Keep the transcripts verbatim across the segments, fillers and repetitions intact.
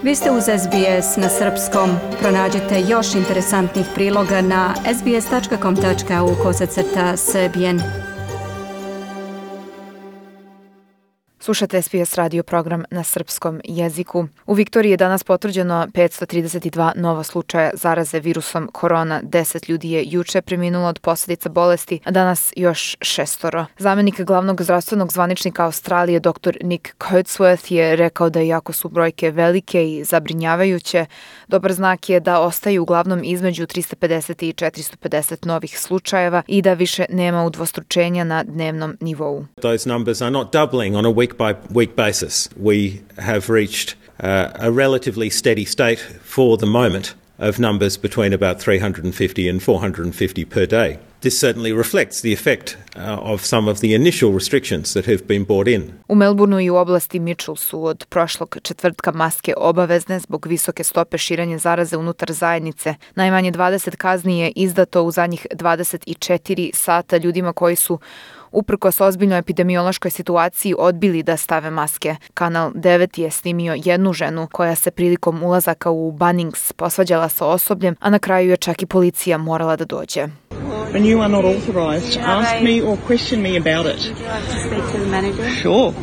Vi ste uz S B S na srpskom. Pronađite još interesantnih priloga na sbs.com.au kosacrta srbijen. Slušate S B S radio program na srpskom jeziku. U Viktoriji je danas potvrđeno petsto trideset dva nova slučaja zaraze virusom korona. deset ljudi je juče preminulo od posljedica bolesti, a danas još šestoro. Zamenik glavnog zdravstvenog zvaničnika Australije dr. Nick Coatsworth je rekao da iako su brojke velike i zabrinjavajuće, dobar znak je da ostaju uglavnom između trista pedeset i četiristo pedeset novih slučajeva i da više nema udvostručenja na dnevnom nivou. Those numbers are not doubling on a week by week basis. We have reached uh, a relatively steady state for the moment of numbers between about three hundred fifty and four hundred fifty per day. This certainly reflects the effect uh, of some of the initial restrictions that have been brought in. U Melbourneu i u oblasti Mitchell su od prošlog četvrtka maske obavezne zbog visoke stope širenja zaraze unutar zajednice. Najmanje dvadeset kazni je izdato u zadnjih dvadeset četiri sata ljudima koji su uprkos ozbiljnoj epidemiološkoj situaciji odbili da stave maske. Kanal devet je snimio jednu ženu koja se prilikom ulazaka u Bunnings posvađala sa osobljem, a na kraju je čak i policija morala da dođe. And you are not authorized. Ask me or question me about it. Would you like to speak to the manager? Sure.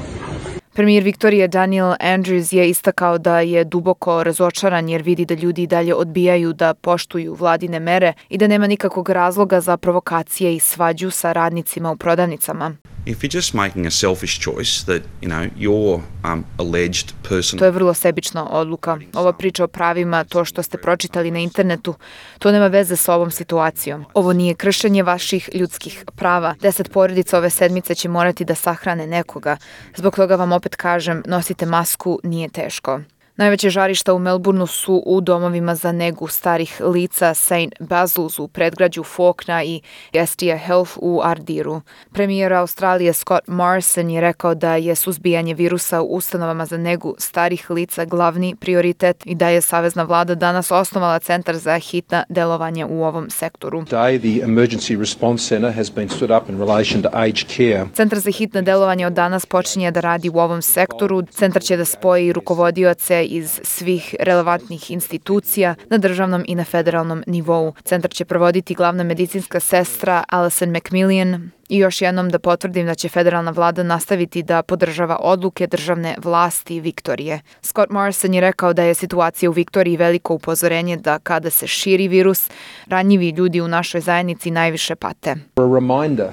Premijer Viktorije Daniel Andrews je istakao da je duboko razočaran jer vidi da ljudi i dalje odbijaju da poštuju vladine mere i da nema nikakvog razloga za provokacije i svađu sa radnicima u prodavnicama. If you're just making a selfish choice that, you know, your um, alleged person... To je vrlo sebična odluka. Ova priča o pravima, to što ste pročitali na internetu, to nema veze sa ovom situacijom. Ovo nije kršenje vaših ljudskih prava. Deset porodica ove sedmice će morati da sahrane nekoga. Zbog toga vam opet kažem, nosite masku, nije teško. Najveće žarišta u Melbourneu su u domovima za negu starih lica Saint Basil's u predgrađu Fawkner i Estia Health u Ardiru. Premijer Australije Scott Morrison je rekao da je suzbijanje virusa u ustanovama za negu starih lica glavni prioritet i da je savezna vlada danas osnovala centar za hitna delovanja u ovom sektoru. Today, the Emergency Response Centre has been stood up in relation to aged care. Centar za hitna delovanja od danas počinje da radi u ovom sektoru. Centar će da spoji rukovodioce iz svih relevantnih institucija na državnom i na federalnom nivou. Centar će provoditi glavna medicinska sestra Alison McMillian. I još jednom da potvrdim da će federalna vlada nastaviti da podržava odluke državne vlasti Viktorije. Scott Morrison je rekao da je situacija u Viktoriji veliko upozorenje da kada se širi virus, ranjivi ljudi u našoj zajednici najviše pate. A reminder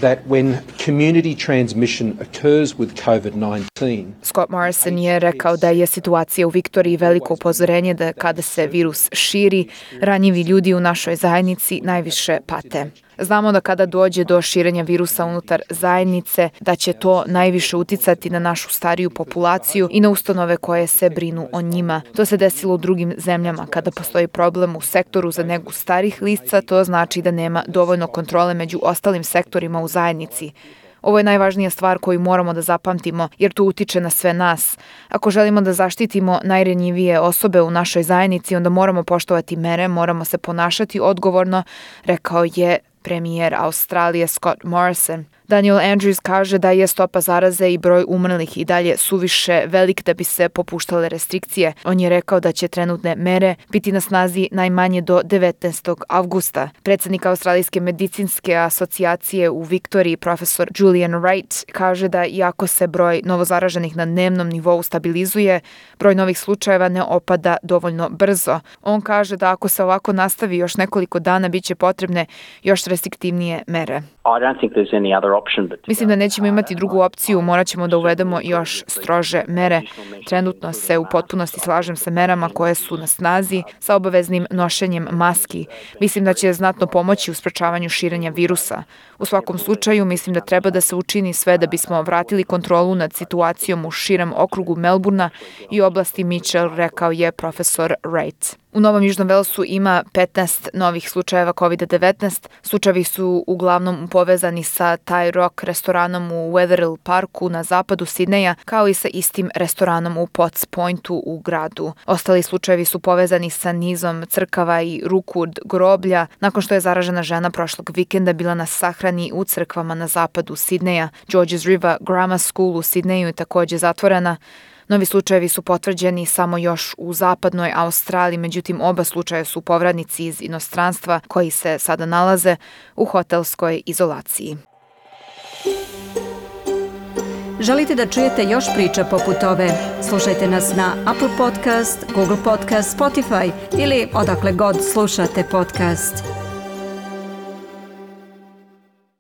that when community transmission occurs with COVID nineteen. Scott Morrison je rekao da je situacija u Viktoriji veliko upozorenje da kada se virus širi, ranjivi ljudi u našoj zajednici najviše pate. Znamo da kada dođe do širenja virusa unutar zajednice, da će to najviše uticati na našu stariju populaciju i na ustanove koje se brinu o njima. To se desilo u drugim zemljama. Kada postoji problem u sektoru za negu starih lica, to znači da nema dovoljno kontrole među ostalim sektorima u zajednici. Ovo je najvažnija stvar koju moramo da zapamtimo, jer to utiče na sve nas. Ako želimo da zaštitimo najranjivije osobe u našoj zajednici, onda moramo poštovati mere, moramo se ponašati odgovorno, rekao je premijer Australije Scott Morrison. Daniel Andrews kaže da je stopa zaraze i broj umrlih i dalje suviše velik da bi se popuštale restrikcije. On je rekao da će trenutne mere biti na snazi najmanje do devetnaestog avgusta. Predsjednik Australijske medicinske asocijacije u Viktoriji, profesor Julian Wright, kaže da iako se broj novozaraženih na dnevnom nivou stabilizuje, broj novih slučajeva ne opada dovoljno brzo. On kaže da ako se ovako nastavi još nekoliko dana, bit će potrebne još restriktivnije mere. Mislim da nećemo imati drugu opciju, morat ćemo da uvedemo još strože mere. Trenutno se u potpunosti slažem sa merama koje su na snazi, sa obaveznim nošenjem maski. Mislim da će znatno pomoći u sprečavanju širenja virusa. U svakom slučaju, mislim da treba da se učini sve da bismo vratili kontrolu nad situacijom u širem okrugu Melbournea i oblasti Mitchell, rekao je profesor Wright. U Novom Južnom Velsu ima petnaest novih slučajeva kovid devetnaest. Slučajevi su uglavnom povezani sa Thai Rock restoranom u Wetherill Parku na zapadu Sidneja, kao i sa istim restoranom u Potts Pointu u gradu. Ostali slučajevi su povezani sa nizom crkava i rukud groblja, nakon što je zaražena žena prošlog vikenda bila na sahrani u crkvama na zapadu Sidneja. Georges River Grammar School u Sidneju je također zatvorena, Novi slučajevi su potvrđeni samo još u zapadnoj Australiji, međutim oba slučaja su povratnici iz inostranstva koji se sada nalaze u hotelskoj izolaciji. Želite da čujete još priča poput ove? Slušajte nas na Apple Podcast, Google Podcast, Spotify ili odakle god slušate podcast.